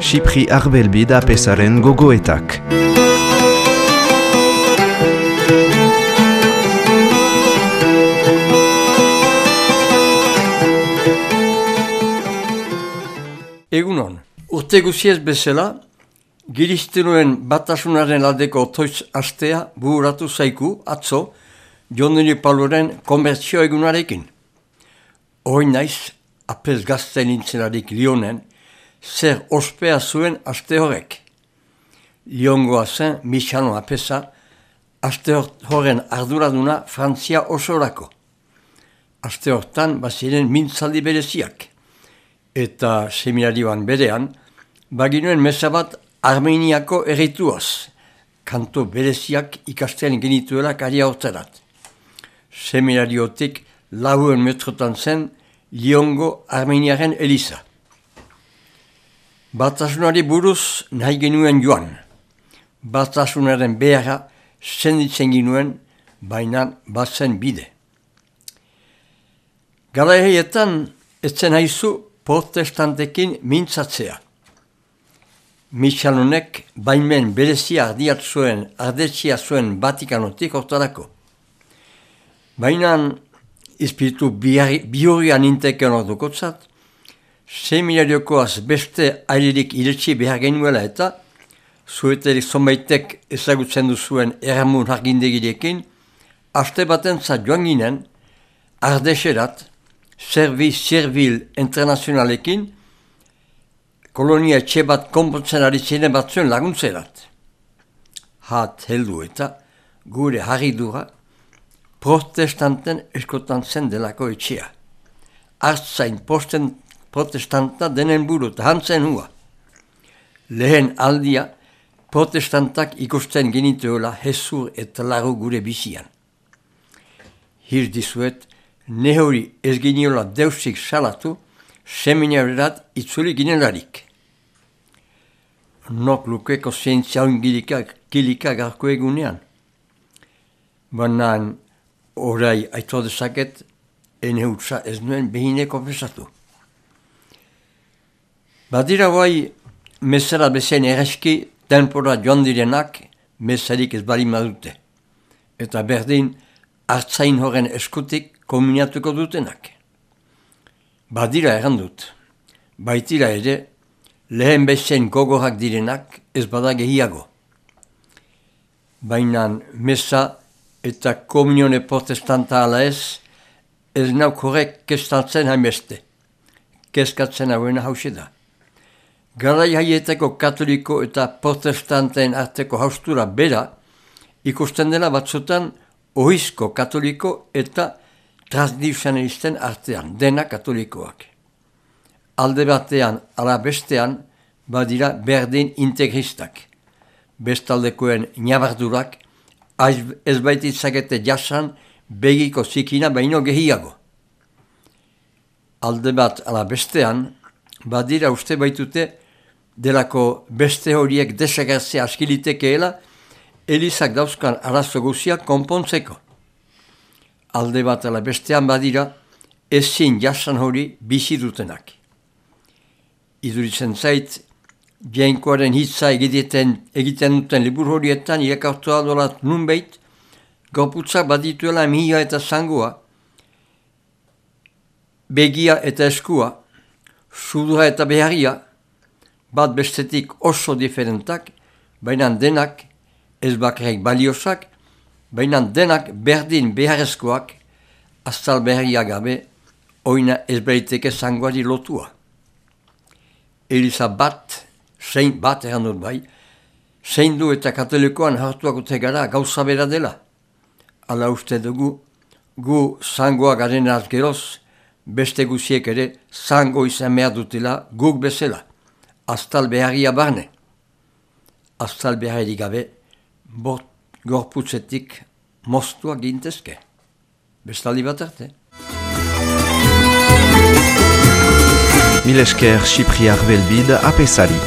Xipri Arbelbid apesaren gogoetak. Egunon, urte guziez bezala, Giristenuen batasunaren aldeko otoitz astea bururatu zaiku atzo Jondini Paloren konbertsio egunarekin. Hoi naiz, apez gazten nintzelarik Lyonen, zer ospea zuen aste horrek. Lyongoa zen Michano apesa, aste horren arduraduna Frantzia osorako. Aste hortan baziren mintzaldi bereziak. Eta seminarioan berean, baginuen meza bat Armeniako errituaz, kanto bereziak ikasten genituela karia hortzerat. Seminariotik 4 metrotan zen Lyongo Armeniaren eliza. Batasunari buruz nahi genuen joan. Batasunaren beharra senditzen genuen, baina bazen bide. Garaietan etzen haizu protestantekin mintzatzea. Michalonek baimen berezia ardetxia zuen Vatikanotik hortarako. Baina espiritu bihurrian inteken ordukotzat, seminariokoaz beste ailerik iretsi behar genuela eta zueterik zonbaitek ezagutzen duzuen erramun argindegirekin, aste batentzat joan ginen, Ardexerat, Servil Internazionalekin, kolonia etxe bat konpontzen ari ziren batzuen laguntzerat. Hat heldu eta gure harridura protestanten eskotan zen delako etxea. Artzain protestanta denen buru eta hantzen hua. Lehen aldia protestantak ikusten genituela hezur eta laru gure bizian. Hir dizuet, ne hori ez giniola deusik salatu, seminarerat itzuli ginelarik. Nok lukeko zientzia kilika garko egunean. Baina orai aito dezaket, ene hutsa ez nuen behine konfesatu. Badira guai, mesera bezen ereski, tempora joan direnak, mesarik ez bali madute. Eta berdin, hartzain horren eskutik kombinatuko dutenak. Badira errandut, baitira ere, lehen bezen gogorak direnak ez bada gehiago. Baina mesa eta komunione protestanta ala ez nauk horrek keskatzen hainbeste. Keskatzen hauena hause da. Garai haietako katoliko eta protestanten arteko haustura bera ikusten dela batzutan ohizko katoliko eta tradizionalisten artean, dena katolikoak. Alde batean, ala bestean, badira berdin integristak. Bestaldekoen nabardurak, ez baititzakete jasan begiko zikina baino gehiago. Alde bat, ala bestean, badira uste baitute delako beste horiek desagertzea askilitekeela, elizak dauzkan arazo guziak konpontzeko. Alde bat ala bestean badira, ezin jasan hori bizi dutenak. Iduritzen zait, Jainkoaren hitza egiten duten libur horietan irakartu aldolat nunbait, gorputzak badituela mihia eta zangoa, begia eta eskua, sudura eta beharria, bat bestetik oso diferentak, baina denak ez bakarrik baliosak, baina denak berdin beharrezkoak, aztal beharria gabe, oina ez baiteke zangoari lotua. Eliza bat errandut bai, zeindu eta katolikoan hartuak utegara gauza bera dela. Ala uste dugu, gu zangoa garen geroz, beste guziek ere zango izan behar dutela guk bezala. Aztal beharria barne. Aztal beharri gabe, gorputzetik moztua gintezke. Bestaldi bat arte. Mil esker Xipri Arbelbid apesari.